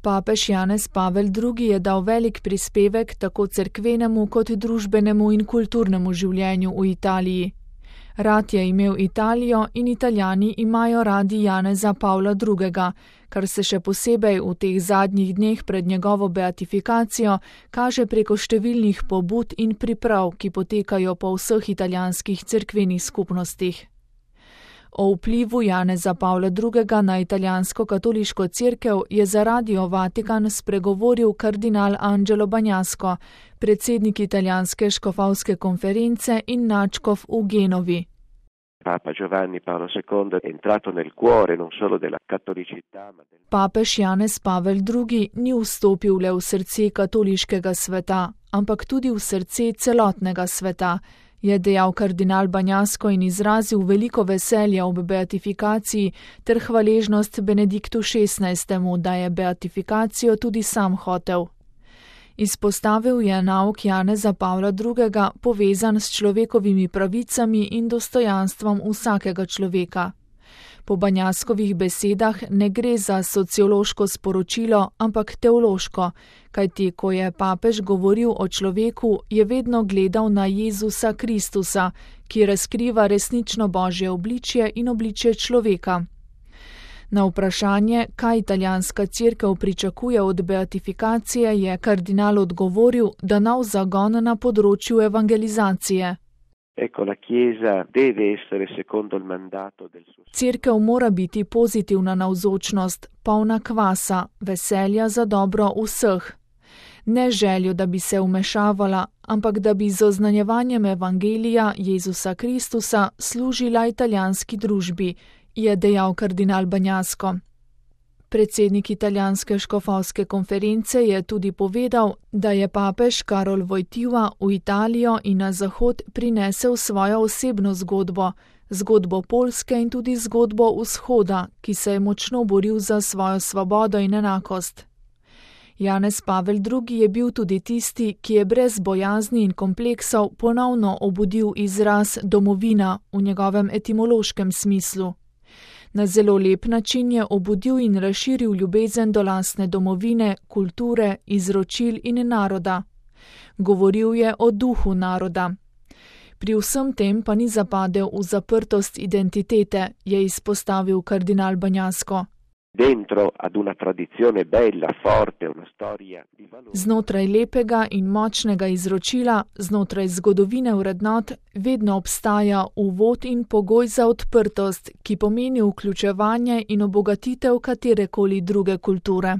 Papež Janez Pavel II. Je dal velik prispevek tako cerkvenemu kot družbenemu in kulturnemu življenju v Italiji. Rad je imel Italijo in Italijani imajo radi Janeza Pavla II., kar se še posebej v teh zadnjih dneh pred njegovo beatifikacijo kaže preko številnih pobud in priprav, ki potekajo po vseh italijanskih cerkvenih skupnostih. O vplivu Janeza Pavla II. Na italijansko katoliško cerkev je za Radio Vatikan spregovoril kardinal Angelo Bagnasco, predsednik italijanske škofovske konference in nadškof v Genovi. Papa Giovanni Paolo II è entrato nel cuore non solo della cattolicità, ma Papež Janez Pavel II. Ni vstopil le v srce katoliškega sveta, ampak tudi v srce celotnega sveta, je dejal kardinal Bagnasco in izrazil veliko veselje ob beatifikaciji ter hvaležnost Benediktu XVI., da je beatifikacijo tudi sam hotel. Izpostavil je nauk Janeza Pavla II. Povezan s človekovimi pravicami in dostojanstvom vsakega človeka. Po Bagnascovih besedah ne gre za sociološko sporočilo, ampak teološko, kajti ko je papež govoril o človeku, je vedno gledal na Jezusa Kristusa, ki razkriva resnično Božje obličje in obličje človeka. Na vprašanje, kaj italijanska cerkev pričakuje od beatifikacije, je kardinal odgovoril, da nov zagon na področju evangelizacije. Cerkev mora biti pozitivna navzočnost, polna kvasa, veselja za dobro vseh. Ne željo, da bi se vmešavala, ampak da bi z oznanjevanjem evangelija Jezusa Kristusa služila italijanski družbi, je dejal kardinal Bagnasco. Predsednik italijanske škofovske konference je tudi povedal, da je papež Karol Wojtyła v Italijo in na Zahod prinesel svojo osebno zgodbo, zgodbo Poljske in tudi zgodbo Vzhoda, ki se je močno boril za svojo svobodo in enakost. Janez Pavel II. Je bil tudi tisti, ki je brez bojazni in kompleksov ponovno obudil izraz domovina v njegovem etimološkem smislu. Na zelo lep način je obudil in razširil ljubezen do lastne domovine, kulture, izročil in naroda. Govoril je o duhu naroda. Pri vsem tem pa ni zapadel v zaprtost identitete, je izpostavil kardinal Bagnasco. Znotraj lepega in močnega izročila, znotraj zgodovine vrednot, vedno obstaja uvod in pogoj za odprtost, ki pomeni vključevanje in obogatitev katerekoli druge kulture.